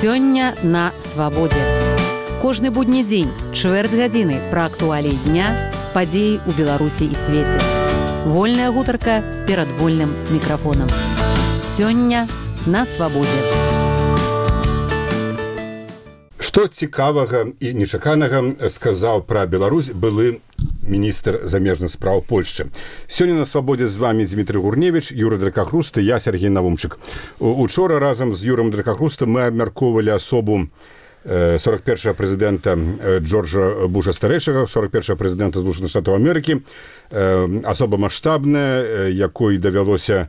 Сёння на свабодзе. Кожны будні дзень, чвэрць гадзіны пра актуаліі дня, падзеі ў Беларусі і свеце. Вольная гутарка перад вольным мікрафонам. Сёння на свабодзе. Што цікавага і нечаканага сказаў пра Беларусь былы міністр замежных спраў Польшчы. Сёння на свабодзе з вами Дмітрый Гурневіч, Юра Дракахруст і я, Сергей Навумчык. Учора разам з Юром Дракахрустам мы абмяркоўвалі асобу 41-го прэзідэнта Джорджа Буша-старэйшага, 41-го прэзідэнта Злучаных Штатаў Амерыкі, асоба маштабная, якой давялося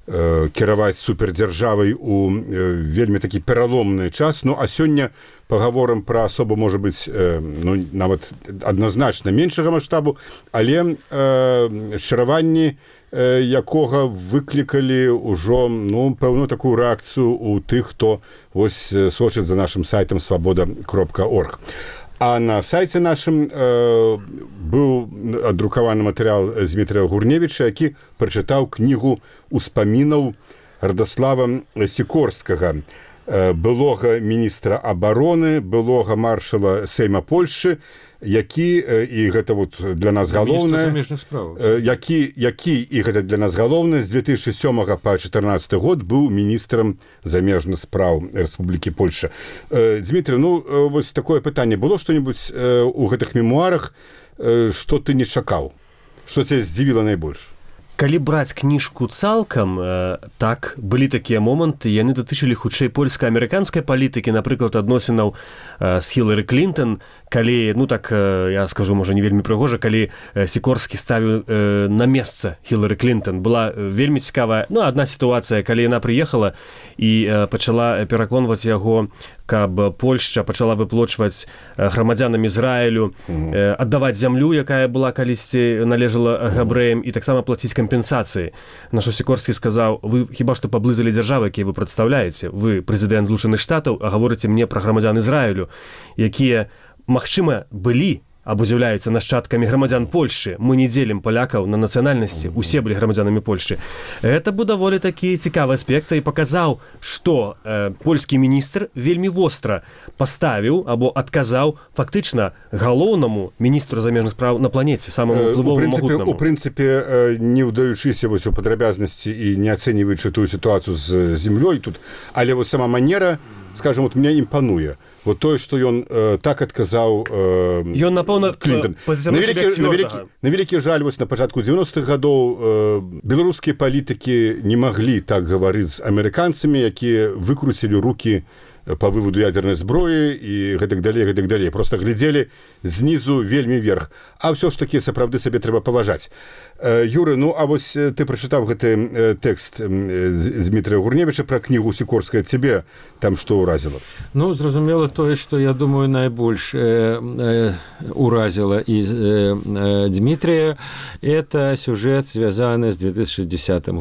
кіраваць супердзяржавай у вельмі такі пераломны час. Ну, а сёння пагаворам пра асобу, можа быць, нават адназначна меншага маштабу, але шчараванні якога выклікалі ўжо, пэўную такую рэакцыю ў тых, хто вось сочыць за нашым сайтам свабода.орг. А на сайце нашым быў адрукаваны матэрыял Дмітрыя Гурневіча, які прачытаў кнігу ўспамінаў Радаслава Сікорскага, былога міністра абароны, былога маршала Сейма Польшчы, які, і гэта вот для нас галоўнае, які, і гэта для нас галоўнае, з 2007 па 2014 год быў міністрам замежных спраў Рэспублікі Польшча. Дмітрий, вось такое пытанне. Было што-небудзь у гэтых мемуарах, што ты не чакаў? Што цябе здзівіла найбольш? Калі браць кніжку цалкам, так, былі такія моманты, яны датычылі хутчэй польска-амерыканскай палітыкі, напрыклад, адносінаў з Хілары Клінтон, калі, я скажу, можа, не вельмі прыгожа, калі Сікорскі ставіў на месца Хілары Клінтон. Была вельмі цікавая, адна сітуацыя, калі яна прыехала і пачала пераконваць яго, каб Польшча пачала выплочваць грамадзянам Ізраілю, аддаваць зямлю, якая была калісьці належала габрэям, і таксама плаціць кампенсацыі. На што Сікорскі сказаў: вы хіба што паблыталі дзяржавы, якія вы прадстаўляеце? Вы прэзідэнт Злучаных Штатаў, а гаворыце мне пра грамадзян Ізраілю, якія, магчыма, былі або з'яўляюцца нашчадкамі грамадзян Польшчы. Мы не дзелім палякаў на нацыянальнасці, усе былі грамадзянамі Польшчы. Гэта быў даволі такі цікавы аспект і паказаў, што польскі міністр вельмі востра паставіў або адказаў фактычна галоўнаму міністру замежных спраў на планеце, самому ўплывоваму магутнаму. У прынцыпе, не ўдаючыся вось у падрабязнасці і не ацэньваючы тую сітуацыю з зямлёй тут, але вось сама манера, скажем, вот мне імпануе. Вот тое, што ён так адказаў ён, напэўна, Клінтон. На вялікі жаль, вось на пачатку 90-х гадоў беларускія палітыкі не маглі так гаварыць з амерыканцамі, якія выкруцілі рукі па выводу ядзернай зброі і гэтак далей. Проста глядзелі знізу вельмі вверх. А ўсё ж такі сапраўды сабе трэба паважаць. Юры, а вось ты прачытаў гэты тэкст з Дмітрыя Гурневіча пра кнігу Сікорскага. Цябе там што ўразіла? Зразумела тое, што, я думаю, найбольш ўразіла і Дмітрия, это сюжет, звязаны з 2010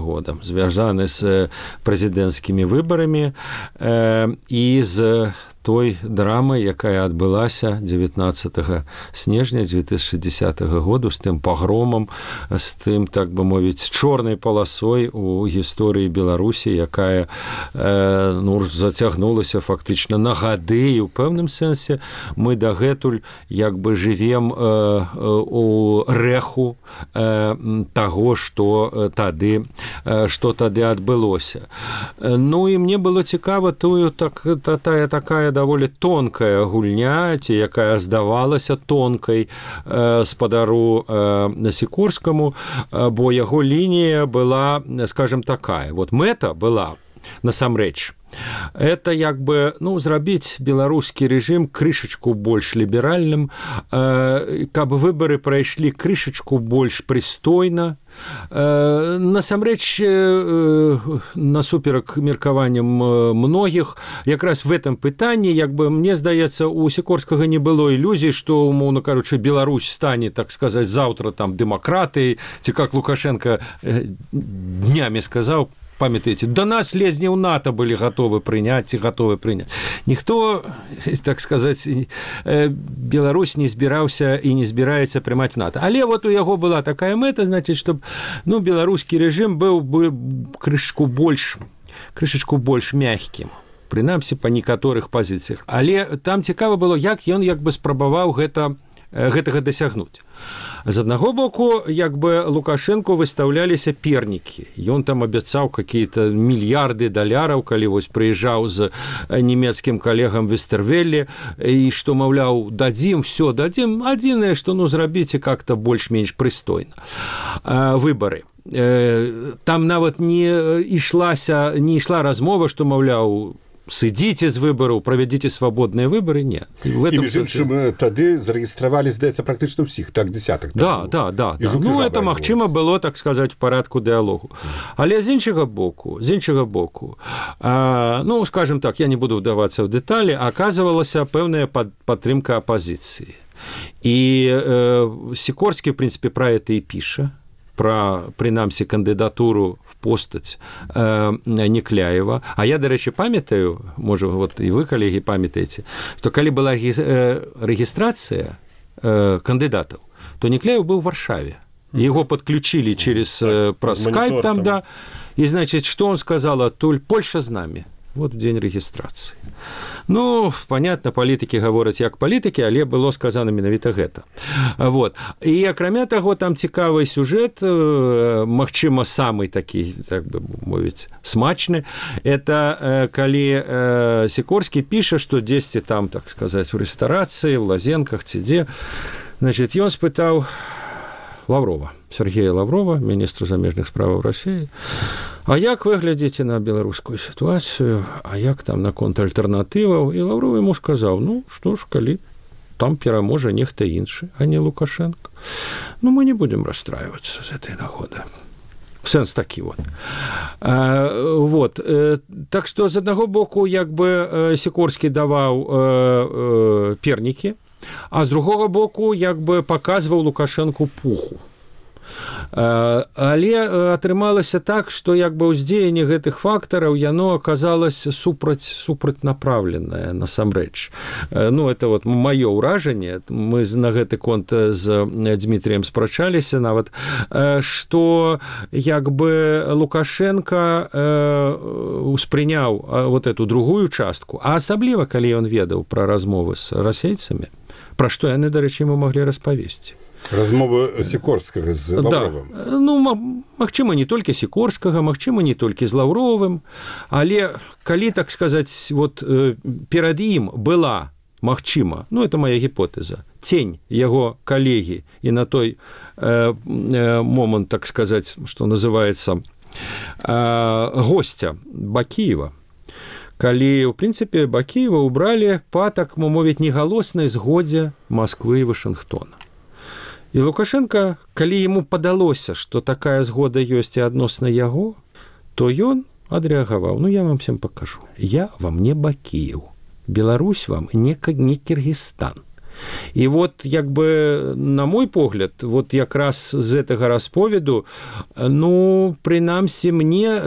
годам, звязаны з прэзідэнцкімі выбарамі і з той драмай, якая адбылася 19 снежня 2010 году, з тым пагромам, з тым, так бы мовіць, чорнай паласой у гісторыі Беларусі, якая зацягнулася фактычна на гады, і ў пэўным сэнсе мы дагэтуль як бы жывем у рэху таго, што тады адбылося. І мне было цікава тая такая даволі тонкая гульня, ці якая здавалася тонкай спадару Сікорскаму, бо яго лінія была, скажем, такая. Вот мэта была, насамрэч, это як бы, зрабіць беларускі рэжым крышачку больш ліберальным, каб выбары прайшлі крышачку больш прыстойна. Насамрэч, насуперак меркаванням многіх, якраз в этом пытанні, як бы, мне здаецца, у Сікорскага не было ілюзій, што, умоўна кажучы, Беларусь стане, так сказаць, заўтра там дэмакратыяй, ці как Лукашенко днямі сказаў, памятаеце, до нас лезні ў НАТО былі готовы прыняць. Ніхто, так сказаць, Беларусь не збіраўся і не збіраецца прымаць НАТО. Але вот у яго была такая мэта, значит, чтобы беларускі рэжым быў бы крышачку больш мягкім. прынамсі па некаторых пазіцыях. Але там цікава было, як ён спрабаваў гэтага дасягнуць. З аднаго боку, Лукашенко выстаўляліся пернікі. Ён там абяцаў какие-то мільярды даляраў, калі вось прыязджаў з нямецкім калегам Вестервелле, і што, маўляў, дадзім, все дадзім. Адзінае, што зрабіце как-то больш-менш прыстойна. Выбары. Там нават не ішла размова, што, маўляў, сыдзіце з выбараў, правядзіце свабодныя выбары, не. І між іншым, тады зарэгістравалі, здаецца, практычна ўсіх, так, дзесятак. Да. Ну, это, магчыма, было, так сказаць, в парадку дыалогу. Але з іншага боку, ну, скажем так, я не буду вдавацца ў дэталі, аказвалася пэўная падтрымка апазіцыі. І Сікорскі, в прынцыпе, пра гэта і піша, пра, прынамсі, кандыдатуру в постаць Некляева. А я, дарэчы, памятаю, можа, вот і вы, калегі, памятаеце, што калі была рэгістрацыя кандыдатаў, то Некляев быў у Варшаве. Его подключили праз скайп там, да. И, значит, что он сказал? Польша с нами. Вот в день регистрации. Ну, понятно, политики говорят як политики, але было сказано менавіта гэта. Вот. И, акрамя таго, там цікавый сюжет, магчыма, самый такі, так бы мовіць, смачны. Это калі Сікорскі піша, што дзесьці там, так сказать, в ресторации, в Лазенках, ці дзе. Значит, ён спытаў Лаврова, Сергея Лаврова, министра замежных справ России, а як вы глядзіце на беларускую ситуацию, а як там наконт альтэрнатываў? І Лавров ему сказаў, ну, што ж, калі там пераможа нехта іншы, а не Лукашенко, ну, мы не будем расстраиваться с этой нагоды. Сэнс такі вот. Вот. Так што, з аднаго боку, як бы Сікорскі даваў пернікі, а з другого боку, як бы паказваў Лукашенку пуху. Але атрымалася так, што як бы ўздзеянне гэтых фактараў яно аказалася супрацьнапраўленае насамрэч. Ну, это вот маё ўражанне, мы на гэты конт з Дмітрыем спрачаліся нават, што як бы Лукашенко успрыняў вот эту другую частку, а асабліва, калі ён ведаў пра размовы з расейцамі, пра што яны, дарэчы, ему маглі распавесці. Размовы Сікорскага з Лаўровым. Да. Ну, магчыма, не толькі Сікорскага, магчыма, не толькі з Лаўровым, але калі, так сказаць, вот перад ім была, магчыма, ну, это моя гіпотэза, цень яго калегі і на той момант, так сказаць, што называецца, гостя Бакіева, калі, ў прынцыпе, Бакіева ўбралі па, так мовіць, негалоснай згодзе Масквы і Вашынгтона. І Лукашенко, калі яму падалося, што такая згода ёсць і адносна яго, то ён адрэагаваў, ну, я вам всем пакажу. Я вам не Бакіев, Беларусь вам не Кіргізстан. І вот, як бы, на мой погляд, вот якраз з гэтага расповеду, ну, прынамсі, мне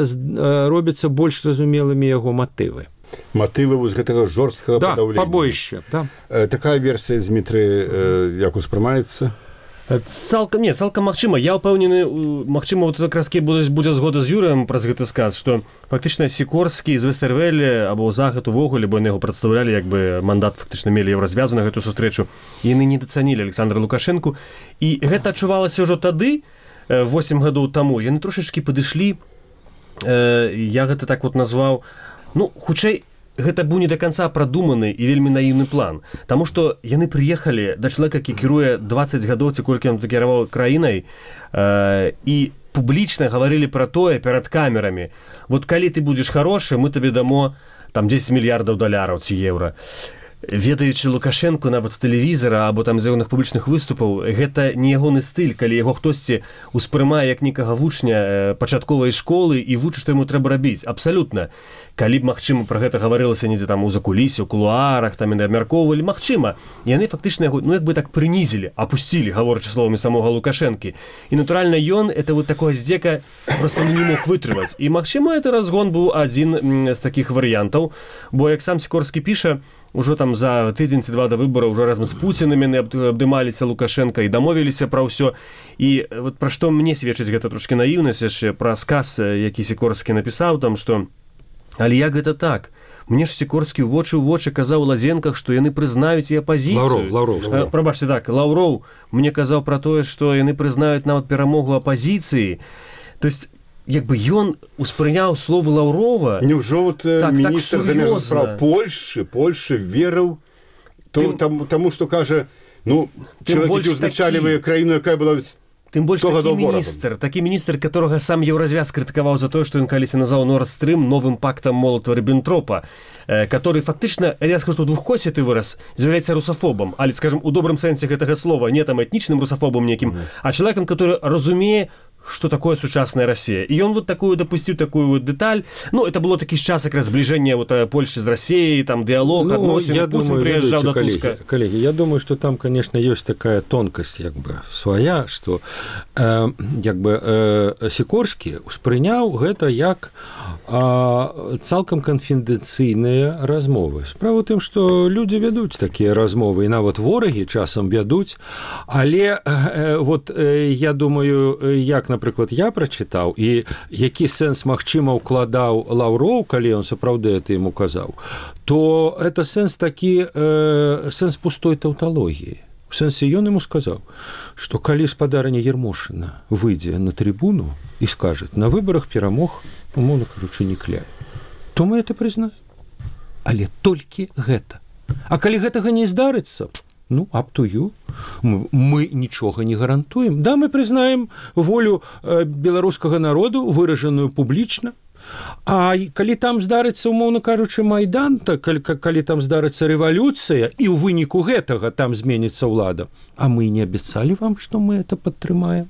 робяцца больш зразумелымі яго матывы. Матывы вось гэтага жорсткага падаўлення. Да, пабоішча, да. Такая версія, Дмітрый, як успрымаецца? Цалкам магчыма. Я ўпэўнены, магчыма, вот якраз будзе згода з Юрыем праз гэты сказ, што фактычна Сікорскі з Вестервелле або Захад увогуле, бо яны яго прадстаўлялі, як бы мандат фактычна мелі еўразвязу на гэтую сустрэчу, і яны недацанілі Александра Лукашэнку. І гэта адчувалася ўжо тады, 8 гадоў таму. Яны трошачкі падышлі, я гэта так вот назваў, ну, хутчэй, гэта быў не да канца прадуманы і вельмі наіўны план. Таму што яны прыехалі да чалавека, які кіруе 20 гадоў, ці колькі ён кіраваў краінай, і публічна гаварылі пра тое перад камерамі. Вот калі ты будзеш харошы, мы табе дамо там 10 мільярдаў даляраў ці еўра. Ведаючы Лукашенку нават з тэлевізара або там з ягоных публічных выступаў, гэта не ягоны стыль, калі яго хтосьці успрымае як некага вучня пачатковай школы і вучыць, што яму трэба рабіць. Абсалютна. Калі б, магчыма, пра гэта гаварылася недзе там у закулісе, у кулуарах, там яны абмяркоўвалі, магчыма, яны фактычна яго, ну, як бы так прынізілі, апусцілі, гаворачы словамі самога Лукашэнкі. І, натуральна, ён, это вот такое здзека просто не мог вытрымаць. І, магчыма, это разгон быў адзін з такіх варыянтаў, бо, як сам Сікорскі піша, ужо там за тыдзень ці два да выбараў уже разам з Пуцінам яны абдымаліся Лукашенка і дамовіліся пра ўсё. І вот пра што мне сведчыць гэта трошкі наіўнасць яшчэ, пра сказ, які Сікорскі напісаў там, што але як гэта так? мне ж Сікорскі ў вочы казаў у Лазенках, што яны прызнаюць і апазіцыю. Лаўроў. Прабачце, так, Лаўроў мне казаў пра тое, што яны прызнаюць нават перамогу апазіцыі. То есть як бы ён успрыняў словы Лаўрова. Няўжо вот міністр замежных спраў Польшчы верыў таму, што кажа, чалавек, які ўзначальвае краіну, якая была тым больш такі міністр, которага сам Еўразвяз крытыкаваў за тое, што ён калісьці назваў Nord Stream новым пактам Молотава-Ріббентропа, который фактычна, я скажу, што двухкосіты выраз з'яўляецца русафобам, але, скажем, у добрым сэнсе гэтага слова, не там этнічным русафобам некім, а чалавекам, который разумее, что такое сучасная Россия. И он вот допустил такую вот деталь. Это было таки час как раз сближения Польши с Россией, там диалог, относины. Путин приезжал до Туска. Коллеги, я думаю, что там, конечно, есть такая тонкость своя, что Сікорскі успрыняў гэта як цалкам канфідэнцыйныя размовы. Справа ў тым, што людзі вядуць такія размовы, і нават ворагі часам вядуць, але я думаю, як, напрыклад, я прачытаў, і які сэнс, магчыма, укладаў Лаўроў, калі ён сапраўды это ім указаў, то это сэнс такі, сэнс пустой таўталогіі. В сэнсе ён ему сказаў, што калі спадарня Ермошына выйдзе на трибуну і скажа, на выбарах перамог, умоўна кажучы, Некляй, то мы это прызнаем. Але толькі гэта. А калі гэтага не здарыцца, up to you. Мы нічога не гарантуем. Да, мы прызнаем волю беларускага народу, выражаную публічна. А калі там здарыцца, умоўна кажучы, Майдан, калі там здарыцца рэвалюцыя, і ў выніку гэтага там зменіцца ўлада, а мы не абяцалі вам, што мы это падтрымаем.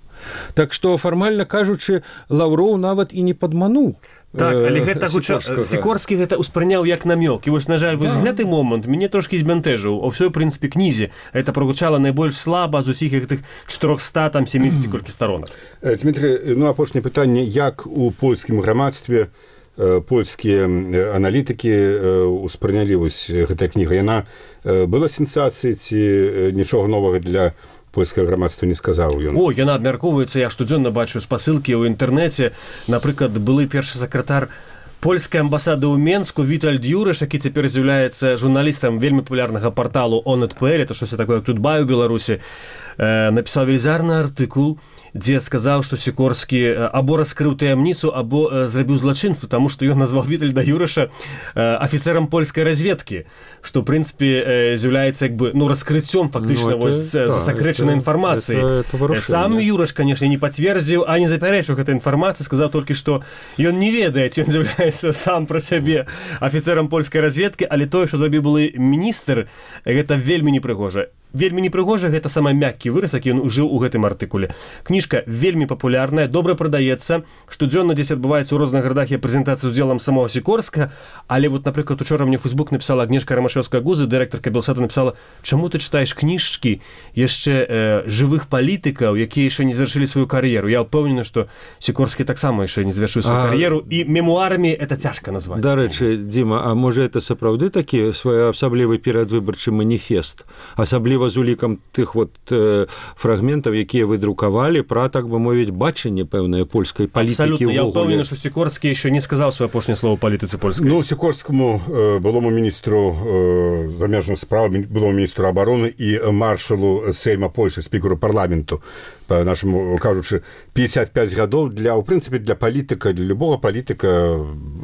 Так што, фармальна кажучы, Лаўроў нават і не падмануў. Так, але гэта Сікорскі гэта ўспрыняў як намёк. І вось, на жаль, гэты момант мяне трошкі збянтэжыў. У ўсёй, прынцыпе, кнізе гэта прагучала найбольш слаба з усіх гэтых 470 колькі сторонак. Дмітрый, апошняе пытанне, як у польскім грамадстве польскія аналітыкі ўспрынялі вось гэтая кніга? Яна была сенсацыяй ці нічога новага для польскае грамадства не сказаў ён? Яна абмяркоўваецца, я штодзённа бачу спасылкі ў інтэрнэце. Напрыклад, былы першы сакратар польскай амбасады ў Менску Вітальд Юрыш, які цяпер з'яўляецца журналістам вельмі папулярнага парталу On.pl, это штось такое, як Тутбай у Беларусі, напісаў велізарны артыкул, дзе сказаў, што Сікорскі або раскрыў таямніцу, або зрабіў злачынства, таму што ён назваў Вітальда Юрыша афіцэрам польскай разведкі, што, ў прынцыпе, з'яўляецца раскрыццём фактычна засакрэчанай інфармацыі. Сам Юрыш, канешне, не пацвердзіў, а не запярэчыў гэтай інфармацыі, сказаў толькі, што ён не ведае, ці ён з'яўляецца сам пра сябе афіцэрам польскай разведкі, але тое, што зрабіў былы міністр, гэта вельмі непрыгожа. Вельмі непрыгожа, гэта самы мяккі выраз, які ён ужыў у гэтым артыкуле. Кніжка вельмі папулярная, добра прадаецца, штодзённа дзесь адбываецца ў розных гарадах і прэзентацыі з удзелам самого Сікорска, але вот, напрыклад, учора мне ў Фейсбук напісала Агнешка Рамашэўская-Гузы, дырэктарка Белсату, напісала, чаму ты чытаеш кніжкі яшчэ жывых палітыкаў, якія яшчэ не завяршылі сваю кар'еру. Я ўпэўнены, што Сікорскі таксама яшчэ не завяршыў сваю кар'еру, і мемуарамі это цяжка назваць. Дарэчы, Дзіма, а можа это сапраўды такі своеасаблівы перадвыбарчы маніфест, асабліва з улікам тых фрагментаў, якія вы друкавалі пра, так бы мовіць, бачанне пэўнай польскай палітыкі. Абсалютна, я ўпэўнены, што Сікорскі яшчэ не сказаў сваё апошняе слово палітыцы польскай. Сікорскаму, былому міністру замежных спраў, былому міністру абароны і маршалу Сейма Польшчы, спікеру парламенту, па-нашаму кажучы, 55 гадоў для, у прынцыпе, для палітыка, для любога палітыка,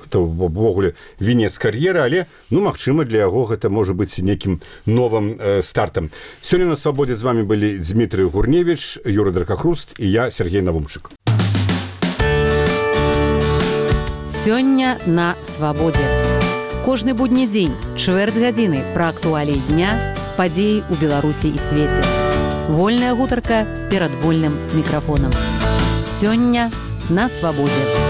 это ўвогуле вінец кар'еры, але, магчыма, для яго гэта можа быць нейкім новым стартам. Сёння на Свабодзе з вами былі Дмітрый Гурневич, Юра Дракахруст і я, Сергей Навумчык. Сёння на Свабодзе. Кожны будні дзень, чвэрць гадзіны пра актуаліі дня, падзеі ў Беларусі і свеце. Вольная гутарка перад вольным мікрафонам. Сёння на Свабодзе.